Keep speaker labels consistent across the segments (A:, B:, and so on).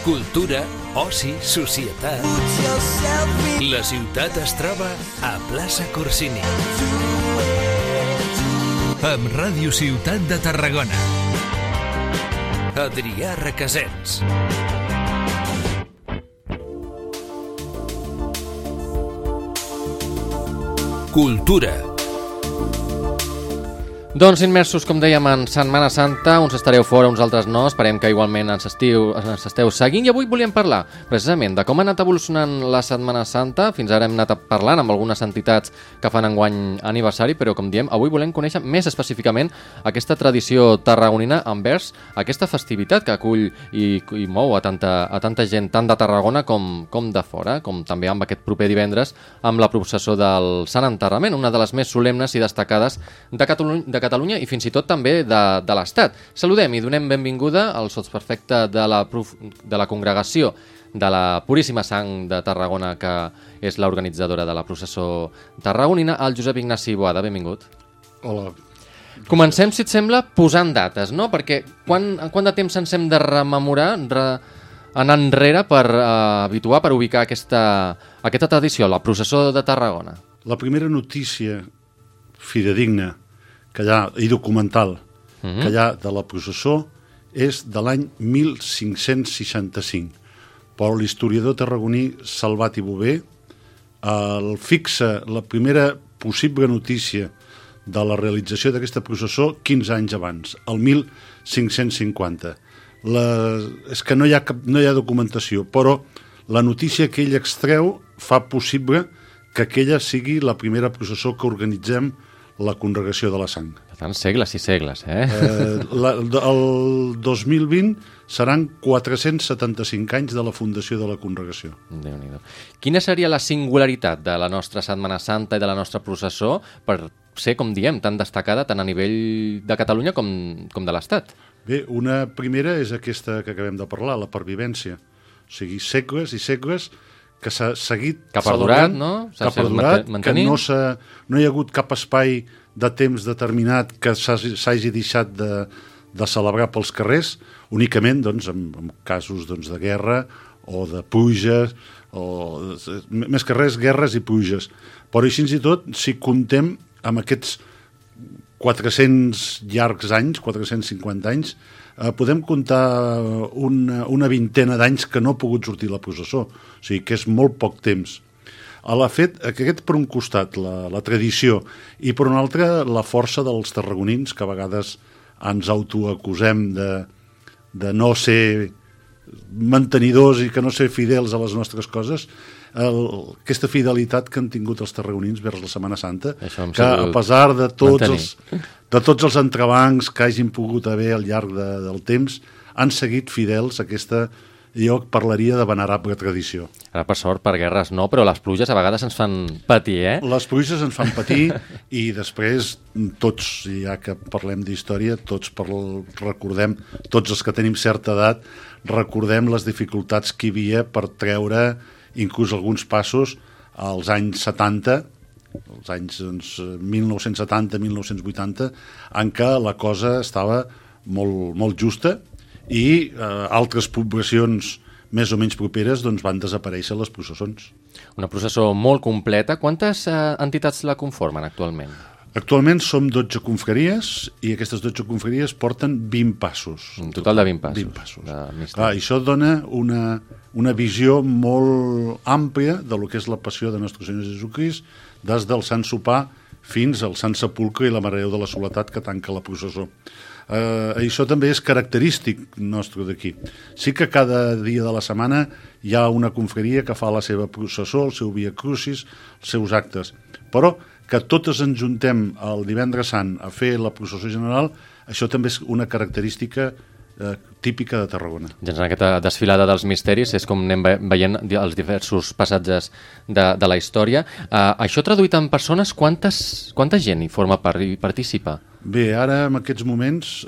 A: cultura, oci, societat. La ciutat es troba a Plaça Corsini. Amb Ràdio Ciutat de Tarragona. Adrià Requesens. Cultura.
B: Doncs immersos, com dèiem, en Setmana Santa, uns estareu fora, uns altres no, esperem que igualment ens esteu seguint, i avui volíem parlar precisament de com ha anat evolucionant la Setmana Santa. Fins ara hem anat parlant amb algunes entitats que fan enguany aniversari, però com diem, avui volem conèixer més específicament aquesta tradició tarragonina envers aquesta festivitat que acull i mou a tanta gent, tant de Tarragona com de fora, com també amb aquest proper divendres amb la processó del Sant Enterrament, una de les més solemnes i destacades de Catalunya i fins i tot també de l'Estat. Saludem i donem benvinguda al sotsprefecte de la Congregació de la Puríssima Sang de Tarragona, que és l'organitzadora de la processó tarragonina, el Josep Ignasi Boada. Benvingut.
C: Hola.
B: Comencem, si et sembla, posant dates, no? Perquè quant de temps ens hem de rememorar, anar enrere per habituar, per ubicar aquesta tradició, la processó de Tarragona?
C: La primera notícia fidedigna que hi ha, i documental, que hi ha de la processó és de l'any 1565. Però l'historiador tarragoní Salvat i Bové el fixa la primera possible notícia de la realització d'aquesta processó 15 anys abans, el 1550. És que no hi ha documentació, però la notícia que ell extreu fa possible que aquella sigui la primera processó que organitzem la Congregació de la Sang.
B: Per tant, segles i segles,
C: El 2020 seran 475 anys de la fundació de la Congregació.
B: Déu-n'hi-do. Quina seria la singularitat de la nostra Setmana Santa i de la nostra processó per ser, com diem, tan destacada tant a nivell de Catalunya com de l'Estat?
C: Bé, una primera és aquesta que acabem de parlar, la pervivència. O sigui, segles i segles que s'ha seguit
B: que ha perdurat, no?
C: Que ha perdurat, que no hi ha hagut cap espai de temps determinat que s'hagi deixat de celebrar pels carrers, únicament doncs, en casos doncs, de guerra o de pluges, més que res, guerres i pluges. Però així i tot, si comptem amb aquests 400 llargs anys, 450 anys, podem comptar una vintena d'anys que no ha pogut sortir la processó. O sigui que és molt poc temps. Aquest per un costat, la tradició, i per un altre la força dels tarragonins, que a vegades ens autoacusem de no ser mantenidors i que no ser fidels a les nostres coses. Aquesta fidelitat que han tingut els tarragonins vers la Setmana Santa, que a pesar de tots els entrebancs que hagin pogut haver al llarg del temps, han seguit fidels a aquesta, jo parlaria de venerable tradició.
B: Ara, per sort, per guerres no, però les pluges a vegades ens fan patir,
C: Les pluges ens fan patir i després tots, ja que parlem d'història, recordem, tots els que tenim certa edat, recordem les dificultats que hi havia per treure inclús alguns passos als anys 70, als anys 1970-1980, en què la cosa estava molt justa i altres poblacions més o menys properes doncs, van desaparèixer les processons.
B: Una processó molt completa. Quantes entitats la conformen actualment?
C: Actualment som 12 confraries i aquestes 12 confraries porten 20 passos.
B: Un total de 20 passos.
C: 20 passos. Clar, això dona una visió molt àmplia de lo que és la passió de Nostre Senyor Jesucrist, des del Sant Sopar fins al Sant Sepulcre i la Mare de Déu de la Soledat que tanca la processó. Això també és característic nostre d'aquí. Sí que cada dia de la setmana hi ha una confraria que fa la seva processó, el seu Via Crucis, els seus actes, però que totes ens juntem el divendres sant a fer la processó general, això també és una característica típica de Tarragona.
B: Ja en aquesta desfilada dels misteris és com anem veient els diversos passatges de la història. Això traduït en persones, quanta gent hi forma part i participa?
C: Bé, ara en aquests moments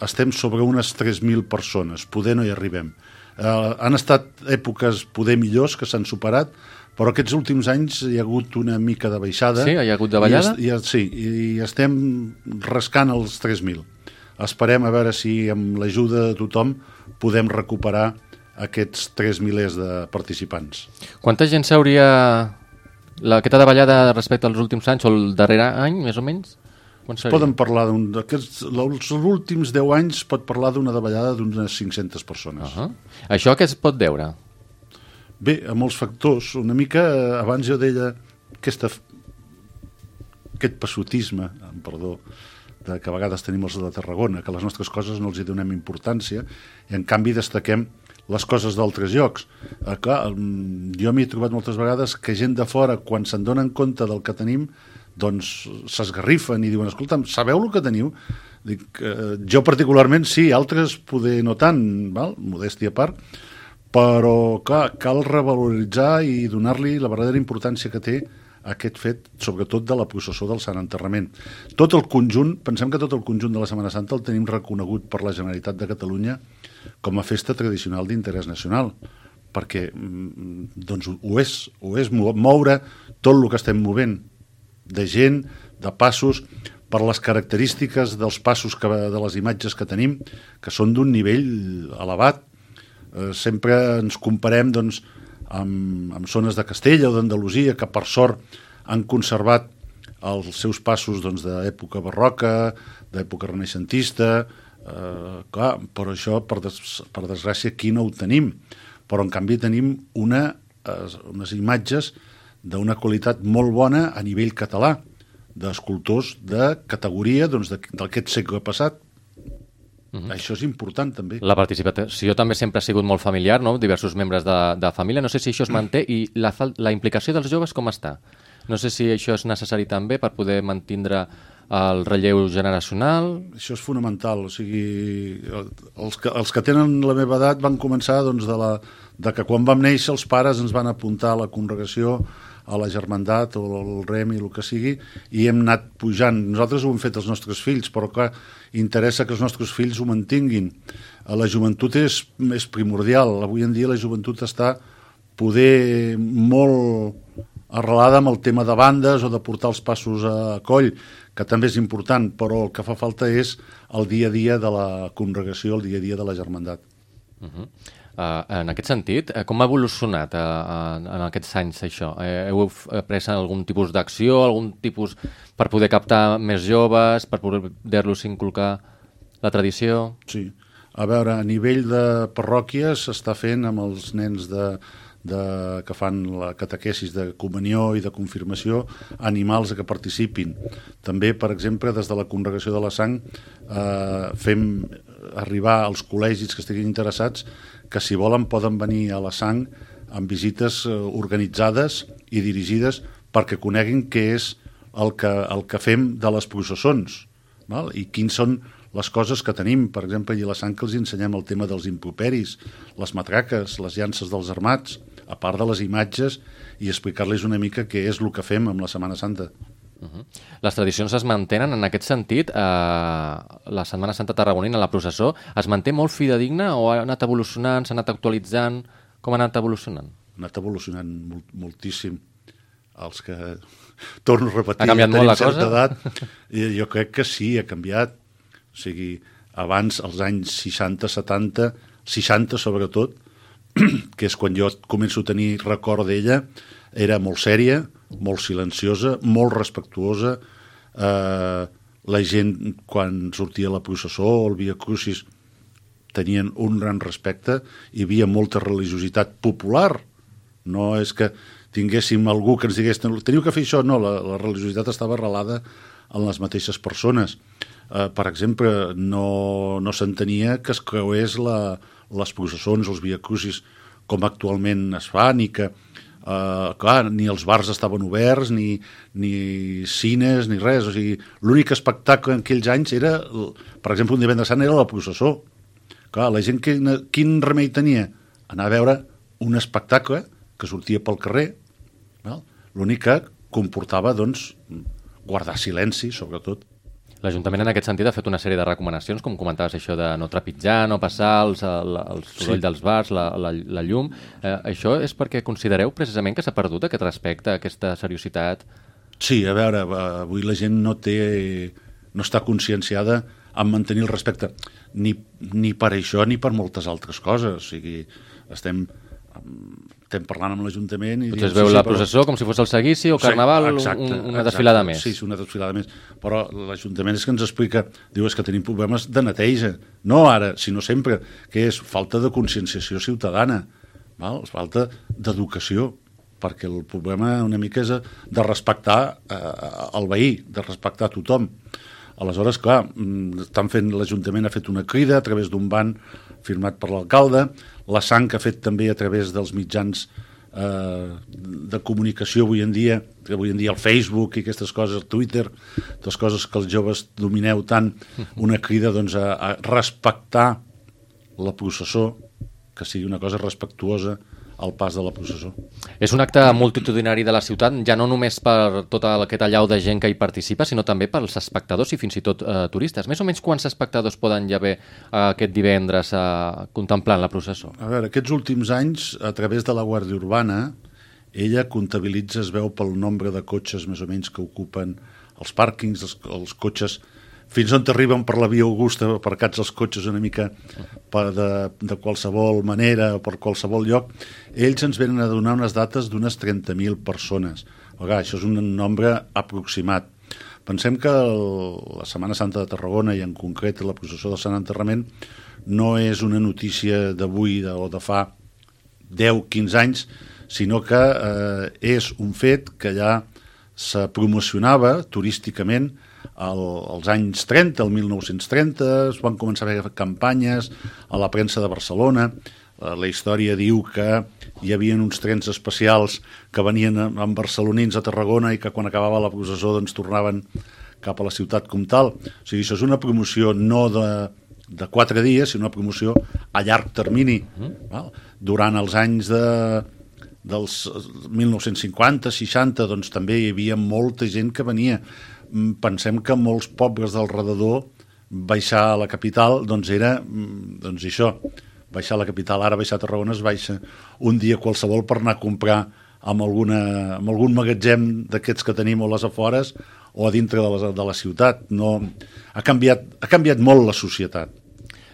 C: estem sobre unes 3.000 persones, poder no hi arribem. Han estat èpoques poder millors que s'han superat, però aquests últims anys hi ha hagut una mica de baixada.
B: Sí, hi ha hagut de ballada?
C: Sí, i estem rascant els 3.000. Esperem a veure si amb l'ajuda de tothom podem recuperar aquests 3 milers de participants.
B: Quanta gent s'hauria... Aquesta davallada respecte als últims anys o el darrer any, més o menys?
C: Poden parlar els últims 10 anys pot parlar d'una davallada d'unes 500 persones.
B: Això què es pot deure?
C: Bé, a molts factors. Una mica, abans jo deia aquest passotisme, perdó, que a vegades tenim els de Tarragona, que les nostres coses no els hi donem importància i en canvi destaquem les coses d'altres llocs. Clar, jo m'he trobat moltes vegades que gent de fora, quan se'n donen compte del que tenim, doncs s'esgarrifen i diuen, escolta'm, sabeu el que teniu? Dic, jo particularment sí, altres poder no tant, val? Modèstia a part, però clar, cal revaloritzar i donar-li la verdadera importància que té aquest fet, sobretot de la processó del Sant Enterrament. Tot el conjunt, pensem que tot el conjunt de la Setmana Santa el tenim reconegut per la Generalitat de Catalunya com a festa tradicional d'interès nacional, perquè doncs, ho és moure tot el que estem movent, de gent, de passos, per les característiques dels passos, de les imatges que tenim, que són d'un nivell elevat. Sempre ens comparem doncs, amb zones de Castella o d'Andalusia, que per sort han conservat els seus passos doncs, d'època barroca, d'època renaixentista, clar, però això, per desgràcia, aquí no ho tenim. Però, en canvi, tenim unes imatges d'una qualitat molt bona a nivell català, d'escultors de categoria doncs, d'aquest segle passat. Això és important, també.
B: La participació també sempre ha sigut molt familiar, no? Diversos membres de família. No sé si això es manté i la implicació dels joves com està? No sé si això és necessari també per poder mantindre el relleu generacional.
C: Això és fonamental. O sigui, els que tenen la meva edat van començar doncs, de que quan vam néixer els pares ens van apuntar a la congregació, a la germandat o al rem i el que sigui, i hem anat pujant. Nosaltres ho hem fet els nostres fills, però clar, interessa que els nostres fills ho mantinguin. La joventut és primordial. Avui en dia la joventut està poder molt arrelada amb el tema de bandes o de portar els passos a coll, que també és important, però el que fa falta és el dia a dia de la congregació, el dia a dia de la germandat.
B: En aquest sentit, com ha evolucionat en aquests anys això? Heu pres algun tipus d'acció, algun tipus per poder captar més joves, per poder-los inculcar la tradició?
C: Sí. A veure, a nivell de parròquies s'està fent amb els nens que fan la catequesis de comunió i de confirmació, animals que participin. També, per exemple, des de la Congregació de la Sang fem arribar als col·legis que estiguin interessats que si volen poden venir a la Sang amb visites organitzades i dirigides perquè coneguin què és el que fem de les processons, val? I quins són les coses que tenim. Per exemple, a la Sang que els ensenyem el tema dels improperis, les matraques, les llances dels armats, a part de les imatges, i explicar-los una mica què és el que fem amb la Setmana Santa.
B: Les tradicions es mantenen en aquest sentit. La Setmana Santa tarragonina, la processó, es manté molt fidedigna o ha anat evolucionant, s'ha anat actualitzant? Com ha anat evolucionant?
C: Ha anat evolucionant moltíssim. Els que, torno a repetir,
B: ha canviat molt la cosa?
C: Edat, jo crec que sí, ha canviat. O sigui, abans, als anys 60, 70, 60 sobretot, que és quan jo començo a tenir record d'ella, era molt sèria, molt silenciosa, molt respectuosa. La gent, quan sortia la processó o el Via Crucis, tenien un gran respecte, hi havia molta religiositat popular. No és que tinguéssim algú que ens digués teniu que fer això, no, la religiositat estava arrelada en les mateixes persones. Per exemple, no s'entenia que es creués les processons, els Via Crucis, com actualment es fa, ni que clar, ni els bars estaven oberts, ni cines, ni res. O sigui, l'únic espectacle en aquells anys era, per exemple, un divendres sant era la processó. Clar, la gent quin remei tenia? Anar a veure un espectacle que sortia pel carrer. L'únic que comportava, doncs, guardar silenci, sobretot.
B: L'Ajuntament en aquest sentit ha fet una sèrie de recomanacions, com comentaves això de no trepitjar, no passar el soroll dels bars, la llum. Això és perquè considereu precisament que s'ha perdut aquest respecte, aquesta seriositat?
C: Sí, a veure, avui la gent no està conscienciada en mantenir el respecte. Ni per això ni per moltes altres coses. O sigui, estem parlant amb l'Ajuntament i
B: potser es veu la processó com si fos el seguici o Carnaval, una desfilada més.
C: Sí, una desfilada més. Però l'Ajuntament és que ens explica, diu, és que tenim problemes de neteja. No ara, sinó sempre, que és falta de conscienciació ciutadana, val? Falta d'educació, perquè el problema una mica és de respectar el veí, de respectar tothom. Aleshores, clar, l'Ajuntament ha fet una crida a través d'un ban firmat per l'alcalde, la sang que ha fet també a través dels mitjans de comunicació avui en dia el Facebook i aquestes coses, el Twitter, les coses que els joves domineu tant, una crida doncs, a respectar la processó, que sigui una cosa respectuosa al pas de la processó.
B: És un acte multitudinari de la ciutat, ja no només per tot aquest allau de gent que hi participa, sinó també pels espectadors i fins i tot turistes. Més o menys quants espectadors poden ja haver aquest divendres contemplant la processó?
C: A veure, aquests últims anys, a través de la Guàrdia Urbana, ella comptabilitza, es veu pel nombre de cotxes més o menys que ocupen els pàrquings, els cotxes fins on arriben per la Via Augusta, aparcats els cotxes una mica de qualsevol manera o per qualsevol lloc, ells ens venen a donar unes dates d'unes 30.000 persones. Això és un nombre aproximat. Pensem que la Setmana Santa de Tarragona i en concret la processó del Sant Enterrament no és una notícia d'avui o de fa 10-15 anys, sinó que és un fet que ja se promocionava turísticament als anys 30, el 1930, es van començar a fer campanyes a la premsa de Barcelona. La història diu que hi havia uns trens especials que venien amb barcelonins a Tarragona i que quan acabava la processó doncs tornaven cap a la ciutat com tal. O sigui, això és una promoció no de 4 dies, sinó una promoció a llarg termini. Durant els anys dels 1950-60 doncs també hi havia molta gent que venia. Pensem que molts pobles del redador baixar a la capital doncs era això, baixar a la capital, ara baixar a Tarragona es baixa un dia qualsevol per anar a comprar amb algun magatzem d'aquests que tenim a les afores o a dintre de la ciutat. No, ha canviat molt la societat.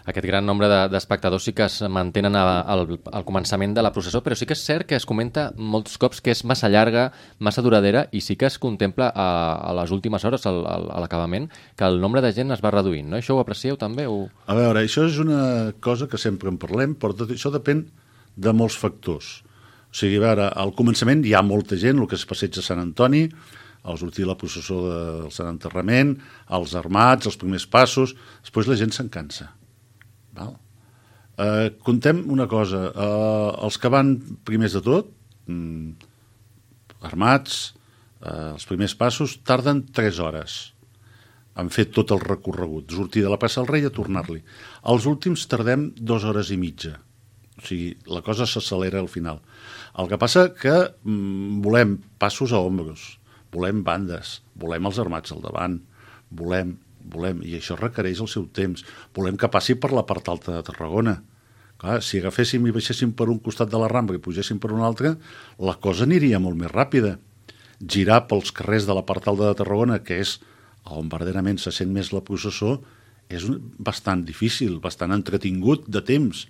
B: Aquest gran nombre d'espectadors sí que es mantenen al començament de la processó, però sí que és cert que es comenta molts cops que és massa llarga, massa duradera, i sí que es contempla a les últimes hores, a l'acabament, que el nombre de gent es va reduint, no? Això ho aprecieu també?
C: A veure, això és una cosa que sempre en parlem, però tot això depèn de molts factors. O sigui, a veure, al començament hi ha molta gent, el que es passeja a Sant Antoni, al sortir la processó del Sant Enterrament, els armats, els primers passos, després la gent se'n cansa. Contem una cosa, els que van primers de tot, armats, els primers passos, tarden 3 hores. Han fet tot el recorregut, sortir de la plaça del Rei a tornar-li. Els últims tardem 2 hores i mitja. O sigui, la cosa s'accelera al final. El que passa que volem passos a ombros, volem bandes, volem els armats al davant, volem, i això requereix el seu temps. Volem que passi per la part alta de Tarragona. Clar, si agaféssim i baixéssim per un costat de la Rambla i pugéssim per un altre, la cosa aniria molt més ràpida. Girar pels carrers de la part alta de Tarragona, que és on verdaderament se sent més la processó, és bastant difícil, bastant entretingut de temps.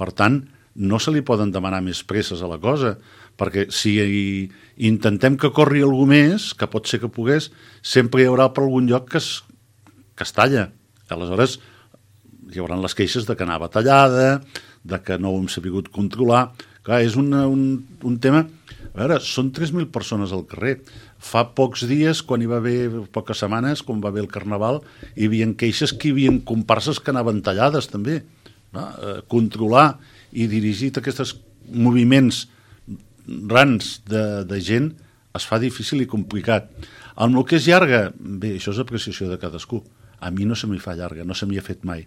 C: Per tant, no se li poden demanar més presses a la cosa, perquè si intentem que corri algú més, que pot ser que pogués, sempre hi haurà per algun lloc que es talla. Aleshores, hi haurà les queixes de que anava tallada, de que no ho hem sabut controlar. Clar, és un tema... A veure, són 3.000 persones al carrer. Fa pocs dies, quan hi va haver, poques setmanes, quan va haver el Carnaval, hi havia queixes que hi havia comparses que anaven tallades, també. Controlar i dirigir aquests moviments grans de gent es fa difícil i complicat. Amb el que és llarga, bé, això és apreciació de cadascú. A mi no se m'hi fa llarga, no se m'hi ha fet mai.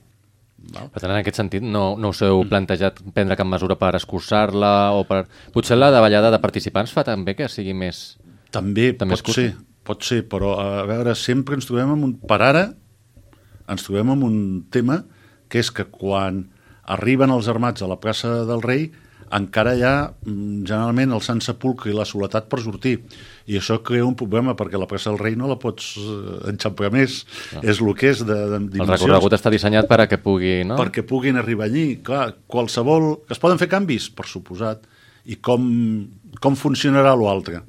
B: Per tant, en aquest sentit, no us heu plantejat prendre cap mesura per escurçar-la o per... Potser la davallada de participants fa també que sigui més...
C: També pot ser, però a veure, sempre ens trobem amb per ara, ens trobem amb un tema que és que quan arriben els armats a la plaça del Rei, encara hi ha generalment el Sant Sepulcre i la soledat per sortir, i això crea un problema perquè la plaça del Rei no la pots enxamprar més, és el que és de dimensions.
B: El recorregut està dissenyat per a que pugui, no?
C: Perquè puguin arribar allí, clar, qualsevol... Es poden fer canvis, per suposat, i com funcionarà l'altre,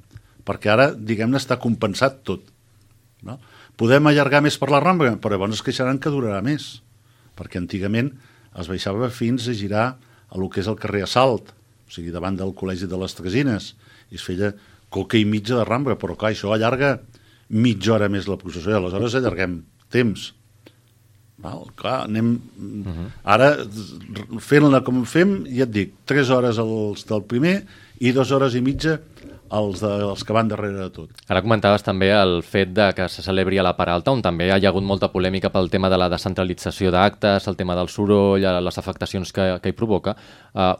C: perquè ara, diguem-ne, està compensat tot, no? Podem allargar més per la Rambla, però llavors es queixaran que durarà més, perquè antigament es baixava fins a girar a lo que és el carrer Assalt, o sigui, davant del Col·legi de les Tresines, i es feia coca i mitja de Rambla, però clar, això allarga mitja hora més la processó, i aleshores allarguem temps. Val? Clar, anem... Ara, fent-la com fem, ja et dic, 3 hores els del primer i 2 hores i mitja els que van darrere de tot.
B: Ara comentaves també el fet de que se celebri a la Part Alta, on també hi ha hagut molta polèmica pel tema de la descentralització d'actes, el tema del soroll, les afectacions que hi provoca.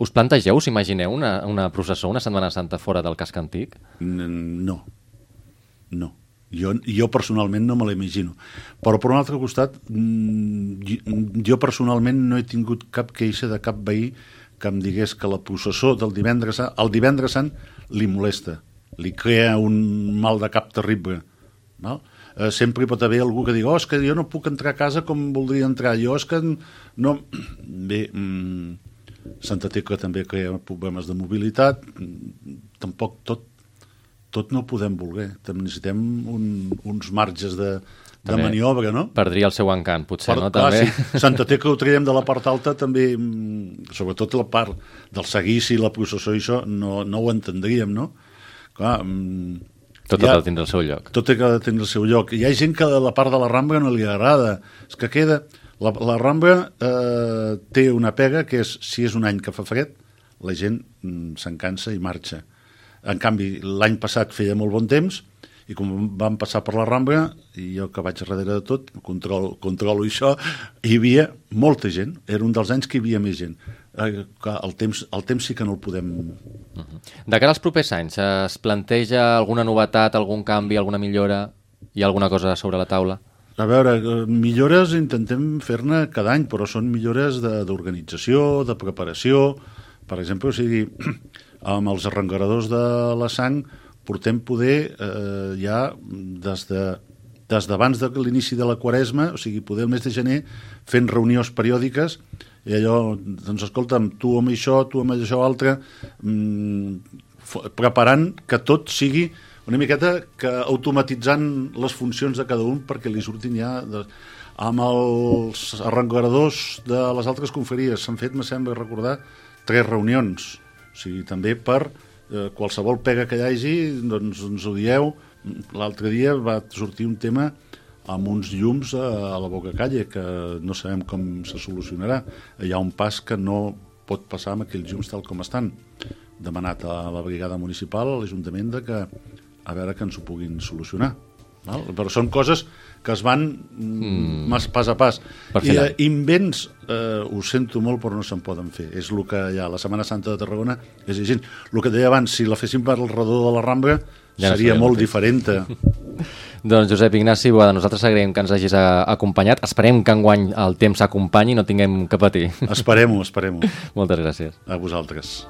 B: Us plantegeu, us imagineu una processó, una Setmana Santa fora del casc antic?
C: No. Jo personalment no me l'imagino. Però per un altre costat, jo personalment no he tingut cap queixa de cap veí que em digués que la processó del divendres Sant, el divendres Sant li molesta, li crea un mal de cap terrible. No? Sempre hi pot haver algú que digui és que jo no puc entrar a casa com voldria entrar, jo és que no... Bé, Santa Tecla també crea problemes de mobilitat, tampoc tot no ho podem voler, necessitem uns marges de maniobra, no?
B: Perdria el seu encant, potser, no?
C: Clar,
B: també.
C: Si Santa Tecla ho traiem de la part alta, també, sobretot la part del seguici, la processó i això, no ho entendríem, no? Clar,
B: tot ha de tindre el seu lloc.
C: Tot ha de tindre el seu lloc. Hi ha gent que a la part de la Rambla no li agrada. És que queda... La Rambla té una pega que és, si és un any que fa fred, la gent se'n cansa i marxa. En canvi, l'any passat feia molt bon temps, i com vam passar per la Rambla, i jo que vaig darrere de tot, controlo això, hi havia molta gent. Era un dels anys que hi havia més gent. El temps sí que no el podem...
B: De cara als propers anys, es planteja alguna novetat, algun canvi, alguna millora? Hi ha alguna cosa sobre la taula?
C: A veure, millores intentem fer-ne cada any, però són millores d'organització, de preparació. Per exemple, o sigui, amb els arrengaradors de la Sang portem poder ja des d'abans de l'inici de la Quaresma, o sigui, poder el mes de gener, fent reunions periòdiques, i allò, doncs escolta'm, tu amb això, tu amb això altre, preparant que tot sigui una miqueta que automatitzant les funcions de cada un perquè li surtin ja... Amb els arrengaradors de les altres confraries s'han fet, me sembla recordar, 3 reunions, o sigui, també per qualsevol pega que hi hagi, doncs ens ho dieu. L'altre dia va sortir un tema amb uns llums a la Boca Calle, que no sabem com se solucionarà. Hi ha un pas que no pot passar amb aquells llums tal com estan. Demanat a la brigada municipal, a l'Ajuntament, a veure que ens ho puguin solucionar. Val? Però són coses que es van pas a pas. I invents, ho sento molt, però no se'n poden fer. És el que hi ha. La Setmana Santa de Tarragona és gent. El que deia abans, si la féssim per al redor de la Rambla, ja seria molt diferent.
B: Doncs Josep Ignasi Boada, nosaltres agraïm que ens hagis acompanyat. Esperem que enguany el temps s'acompanyi i no tinguem que patir.
C: Esperem-ho.
B: Moltes gràcies.
C: A vosaltres.